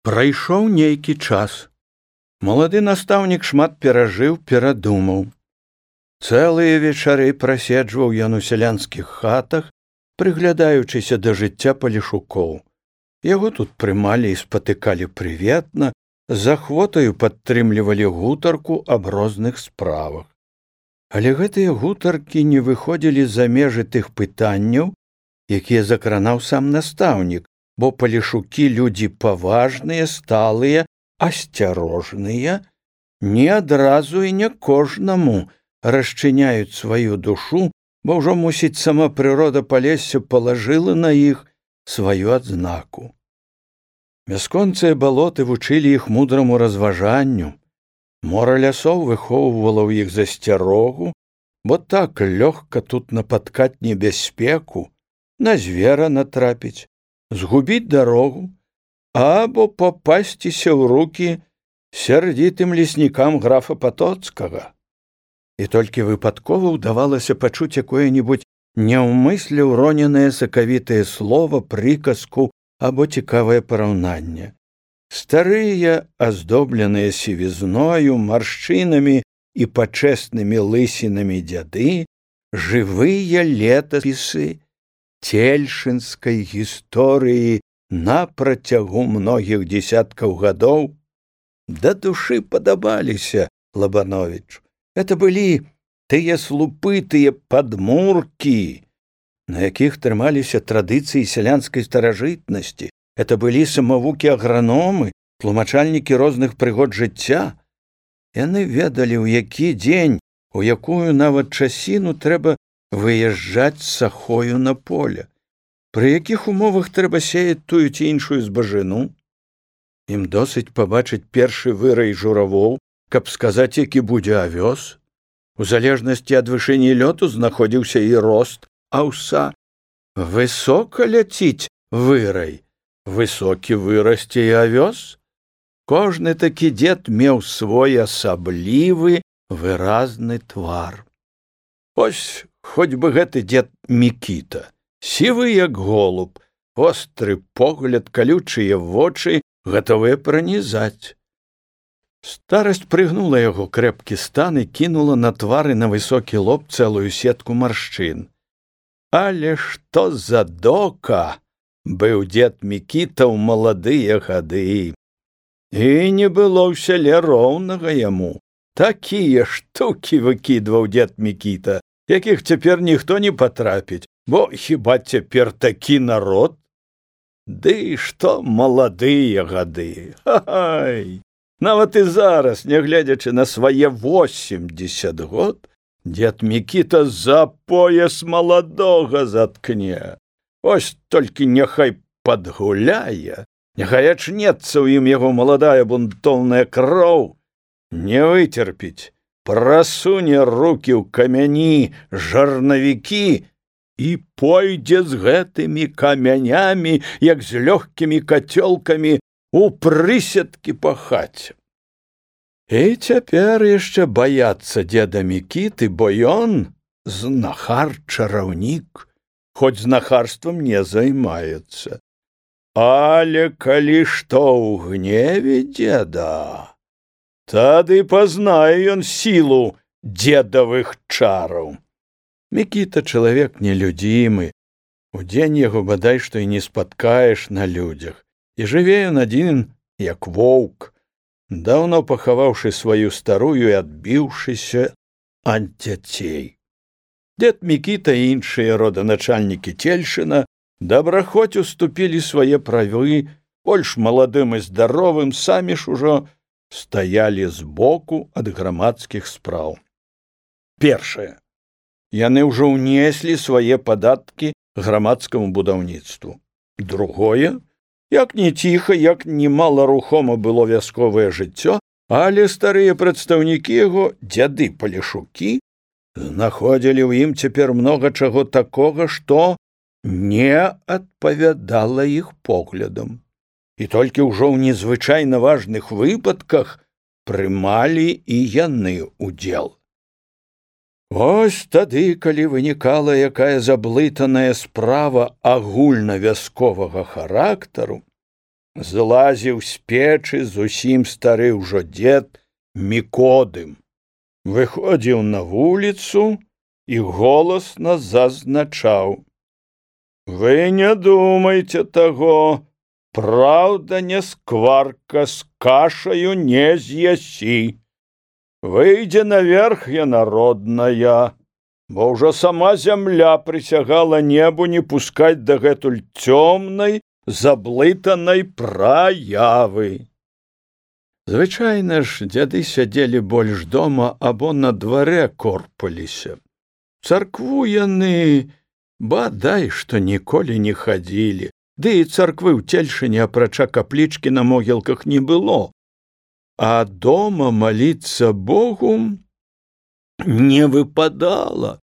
Прайшоў нейкі час. Малады настаўнік шмат перажыў, перадумаў. Цэлыя вечары праседжваў ён у сялянскіх хатах, прыглядаючыся да жыцця палешукоў. Яго тут прымалі і спатыкалі прыветна, з ахвотаю падтрымлівалі гутарку аб розных справах. Але гэтыя гутаркі не выходзілі за межы тых пытанняў, якія закранаў сам настаўнік, бо палешукі людзі паважныя, сталыя, асцярожныя, не адразу і не кожнаму расчыняюць сваю душу, бо ўжо, мусіць, сама прырода палесся палажыла на іх сваю адзнаку. Бясконцыя балоты вучылі іх мудраму разважанню. Мора лясоў выхоўвала ў іх засцярогу, бо так лёгка тут напаткаць небяспеку, на звера натрапіць, згубіць дарогу або папасціся ў рукі сярдзітым леснікам графа Патоцкага. І толькі выпадкова ўдавалася пачуць якое-небудзь няўмысля ўроненае сакавітае слова, прыказку або цікавае параўнанне. Старыя, аздобленыя сівізною, маршчынамі і пачэснымі лысінамі дзяды, жывыя летапісы цельшынскай гісторыі на працягу многіх дзесяткаў гадоў да душы падабаліся Лабановічу. Это былі тыя слупы, тыя падмуркі, на якіх трымаліся традыцыі сялянскай старажытнасці. Это былі самавукі-аграномы, тлумачальнікі розных прыгод жыцця. Яны ведалі, у які дзень, у якую нават часіну трэба выязджаць з сахою на поле, пры якіх умовах трэба сеяць тую ці іншую збажыну. Ім досыць пабачыць першы вырай журавоў, каб сказаць, які будзе авёс. У залежнасці ад вышыні лёту знаходзіўся і рост аўса. Высока ляціць вырай, высокі вырасце і авёс. Кожны такі дзед меў свой асаблівы выразны твар. Ось хоць бы гэты дзед Мікіта, сівы як голуб, остры погляд, калючыя вочы, гатовыя пранізаць. Старасць прыгнула яго крэпкі стан і кінула на твары на высокі лоб цэлую сетку маршчын. Але што за дока быў дзед Мікіта ў маладыя гады. І не было ў сяле роўнага яму. Такія штукі выкідваў дзед Мікіта, якіх цяпер ніхто не патрапіць, бо хіба цяпер такі народ? Ды што маладыя гады, хай! Нават і зараз, нягледзячы на свае 80 год, дзед Мікіта за пояс маладога заткне. Ось толькі няхай падгуляе, няхай ачнецца ў ім яго маладая бунтоўная кроў, не выцерпіць, прасуне рукі ў камяні жарнавікі і пойдзе з гэтымі камянямі, як з лёгкімі кацёлкамі, у прысядкі па хаце. І цяпер яшчэ баяцца дзеда Мікіты, бо ён знахар-чараўнік, хоць знахарствам не займаецца. Але калі што ў гневе дзеда, тады пазнае ён сілу дзедавых чараў. Мікіта чалавек нелюдзімы, удзень яго бадай што і не спаткаеш на людзях. І жыве ён адзін, як воўк, даўно пахаваўшы сваю старую і адбіўшыся ад дзяцей. Дзед Мікіта і іншыя роданачальнікі Цельшына добрахоць уступілі свае правы больш маладым і здаровым, самі ж ужо стаялі збоку ад грамадскіх спраў. Першае. Яны ўжо ўнеслі свае падаткі грамадскаму будаўніцтву. Другое. Як не ціха, як не маларухома было вясковае жыццё, але старыя прадстаўнікі яго, дзяды-палешукі, знаходзілі ў ім цяпер многа чаго такога, што не адпавядала іх поглядам. І толькі ўжо ў незвычайна важных выпадках прымалі і яны удзел. Ось тады, калі вынікала якая заблытаная справа агульнавясковага характару, злазіў з печы зусім стары ўжо дзед Мікодым. Выходзіў на вуліцу і голасна зазначаў: «Вы не думайте таго, праўда не скварка, з кашаю не з'ясі. Выйдзе наверх яна родная, бо ўжо сама зямля прысягала небу не пускаць дагэтуль цёмнай, заблытанай праявы». Звычайна ж дзяды сядзелі больш дома або на дварэ корпаліся. Царкву яны бадай што ніколі не хадзілі, ды і царквы ў Цельшыне апрача каплічкі на могілках не было. А дома маліцца Богу не выпадала,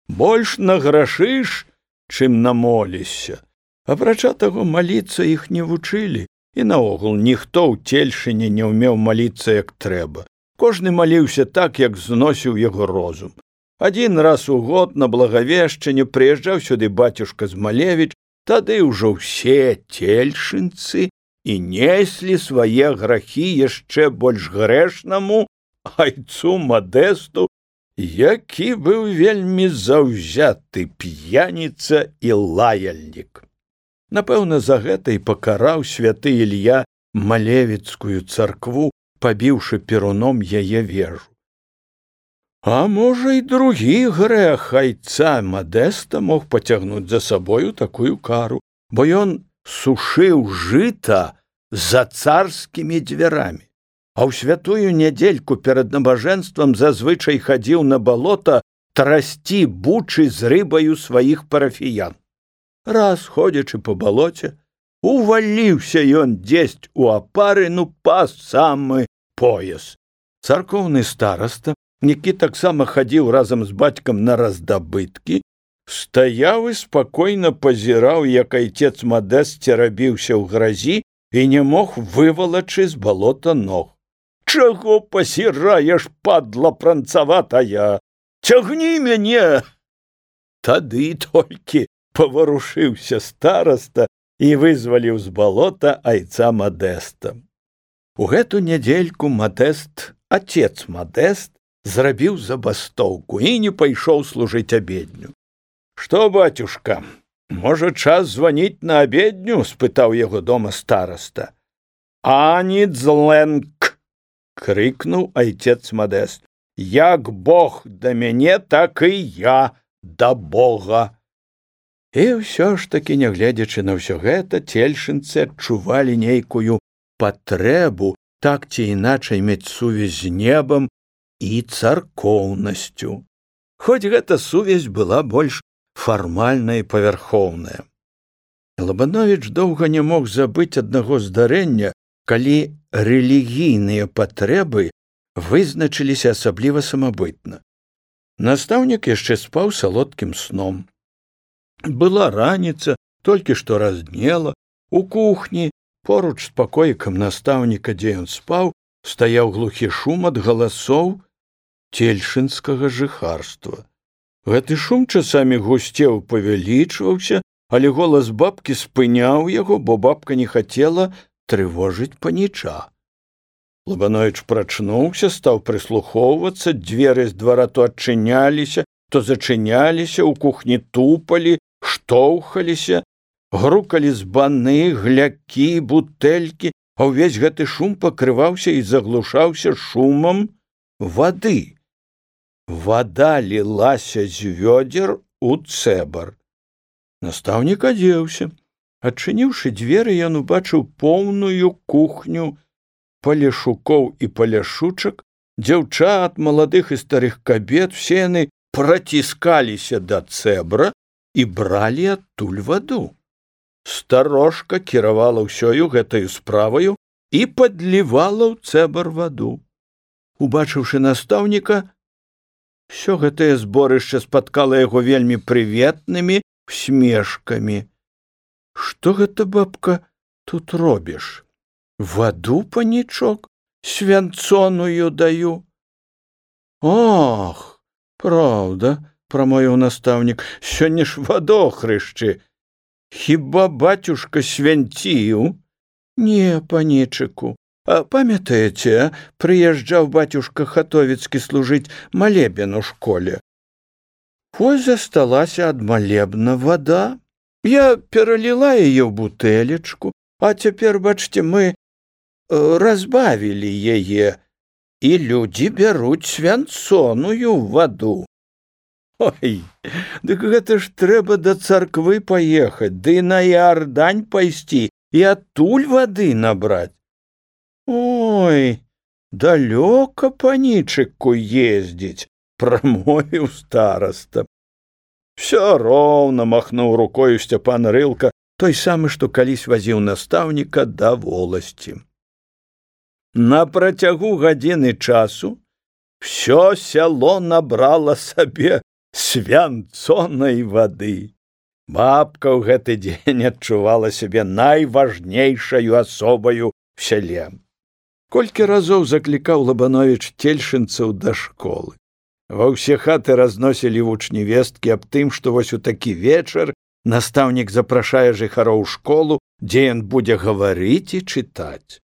больш награшыш, чым намолішся. Апрача таго, маліцца іх не вучылі, і наогул ніхто ў Цельшыне не ўмеў маліцца як трэба. Кожны маліўся так, як зносіў яго розум. Адзін раз у год на Благавешчанне прыязджаў сюды бацюшка Змалевіч, тады ўжо ўсе цельшынцы і неслі свае грахі яшчэ больш грэшнаму айцу Мадэсту, які быў вельмі заўзяты п'яніца і лаяльнік. Напэўна, за гэта і пакараў святы Ілья Малевіцкую царкву, пабіўшы перуном яе вежу. А можа, і другі грэх айца Мадэста мог пацягнуць за сабою такую кару, бо ён сушыў жыта за царскімі дзвярамі, а ў святую нядзельку перад набажэнствам зазвычай хадзіў на балота трасці бучы з рыбаю сваіх парафіян. Раз, ходзячы па балоце, уваліўся ён дзесьць у апары, па самы пояс. Царкоўны стараста, які таксама хадзіў разам з бацькам на раздабыткі, стаяў і спакойна пазіраў, як айцец Мадэст церабіўся ў гразі і не мог вывалачы з балота ног. «Чаго пасіраеш, падла пранцаватая? Цягні мяне!» Тады толькі паварушыўся стараста і вызваліў з балота айца Мадэста. У гэту нядзельку Мадэст, отец Мадэст, зрабіў забастоўку і не пайшоў служыць абедню. «Што, бацюшка, можа, час званіць на абедню?» – спытаў яго дома стараста. «Ані дзленк!» – крыкнуў айцец Мадэст. «Як Бог да мяне, так і я да Бога!» І ўсё ж такі, нягледзячы на ўсё гэта, цельшынцы адчувалі нейкую патрэбу так ці іначай мець сувязь з небам і царкоўнасцю. Хоць гэта сувязь была больш фармальная і павярхоўная. Лабановіч доўга не мог забыць аднаго здарэння, калі рэлігійныя патрэбы вызначыліся асабліва самабытна. Настаўнік яшчэ спаў салодкім сном. Была раніца, толькі што разднела. У кухні, поруч з пакоікам настаўніка, дзе ён спаў, стаяў глухі шум ад галасоў цельшынскага жыхарства. Гэты шум часамі гусцеў, павялічваўся, але голас бабкі спыняў яго, бо бабка не хацела трывожыць паніча. Лабановіч прачнуўся, стаў прыслухоўвацца, дзверы з двара то адчыняліся, то зачыняліся, у кухні тупалі, штоўхаліся, грукалі збаны, глякі, бутэлькі, а ўвесь гэты шум пакрываўся і заглушаўся шумам вады. Вада лілася з вёдзер у цэбар. Настаўнік адзеўся. Адчыніўшы дзверы, ён убачыў поўную кухню палешукоў і паляшучак, дзяўчат, маладых і старых кабет, все яны праціскаліся да цэбра і бралі адтуль ваду. Старожка кіравала ўсёю гэтаю справаю і падлівала ў цэбар ваду. Убачыўшы настаўніка, усё гэтае зборышча спаткала яго вельмі прыветнымі усмешкамі. «Што гэта, бабка, тут робіш? Ваду, панічок, свянцоную даю». «Ох, праўда», – прамовіў настаўнік, – «сёння ж вадохрышчы. Хіба бацюшка свянціў?» Не, панічыку. Памятаеце, прыязджаў бацюшка Хатовіцкі служыць малебен у школе. Вось засталася ад малебна вада. Я пераліла яе ў бутэлечку, а цяпер, бачце, мы разбавілі яе, і людзі бяруць свянцоную ваду. Ой, дык гэта ж трэба да царквы паехаць, ды на Іардань пайсці і адтуль вады набраць. Ой, далёка панічыку ездзіць, прамовіў стараста. Всё роўна, махнуў рукою Сцяпан Рылка, той самы, што калісь вазіў настаўніка да воласці. На працягу гадзіны часу всё сяло набрала сабе свянцонай вады. Бабка ў гэты дзень адчувала сябе найважнейшаю асобаю в сяле. Колькі разоў заклікаў Лабановіч цельшынцаў да школы. Ва ўсе хаты разносілі вучні весткі аб тым, што вось у такі вечар настаўнік запрашае жыхароў у школу, дзе ён будзе гаварыць і чытаць.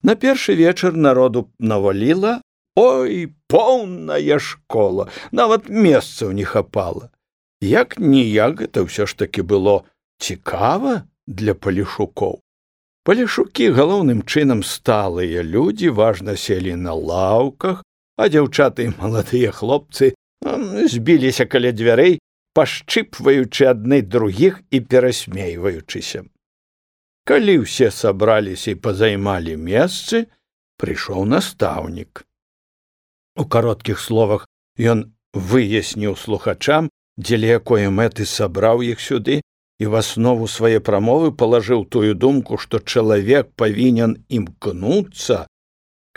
На першы вечар народу наваліла, ой, поўная школа, нават месцаў не хапала. Як-ніяк гэта ўсё ж такі было цікава для палешукоў. Палешукі галоўным чынам сталыя людзі, важна селі на лаўках, а дзяўчаты і маладыя хлопцы збіліся каля дзвярэй, пашчыпваючы адны другіх і перасмейваючыся. Калі ўсе сабраліся і пазаймалі месцы, прыйшоў настаўнік. У кароткіх словах ён выясніў слухачам, дзеля якой мэты сабраў іх сюды, і в аснову свае прамовы палажыў тую думку, што чалавек павінен імкнуцца,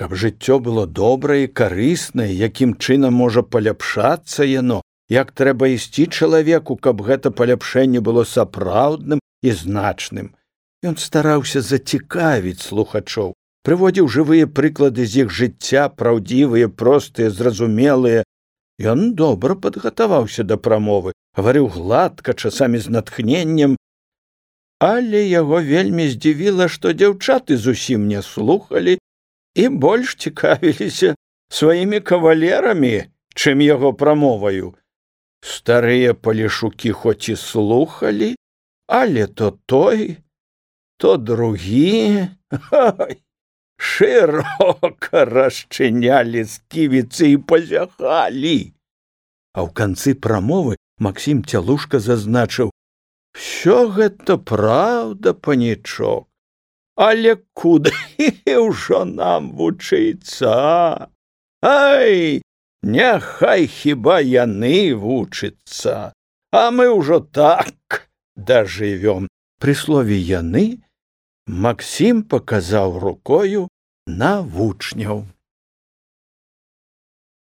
каб жыццё было добрае і карыснае, якім чынам можа паляпшацца яно, як трэба ісці чалавеку, каб гэта паляпшэнне было сапраўдным і значным. Ён стараўся зацікавіць слухачоў, прыводзіў жывыя прыклады з іх жыцця, праўдзівыя, простыя, зразумелыя. Ён добра падгатаваўся да прамовы, гаварыў гладка, часамі з натхненнем, але яго вельмі здзівіла, што дзяўчаты зусім не слухалі і больш цікавіліся сваімі кавалерамі, чым яго прамоваю. Старыя палешукі хоць і слухалі, але то той, то другі, шырока расчынялі сківіцы і пазяхалі. А ў канцы прамовы Максім Цялушка зазначыў: «Всё гэта праўда, панічок, але куды ўжо нам вучыцца? Ай, няхай хіба яны вучыцца, а мы ўжо так дажывём». Пры слове «яны» Максім паказаў рукою на вучняў.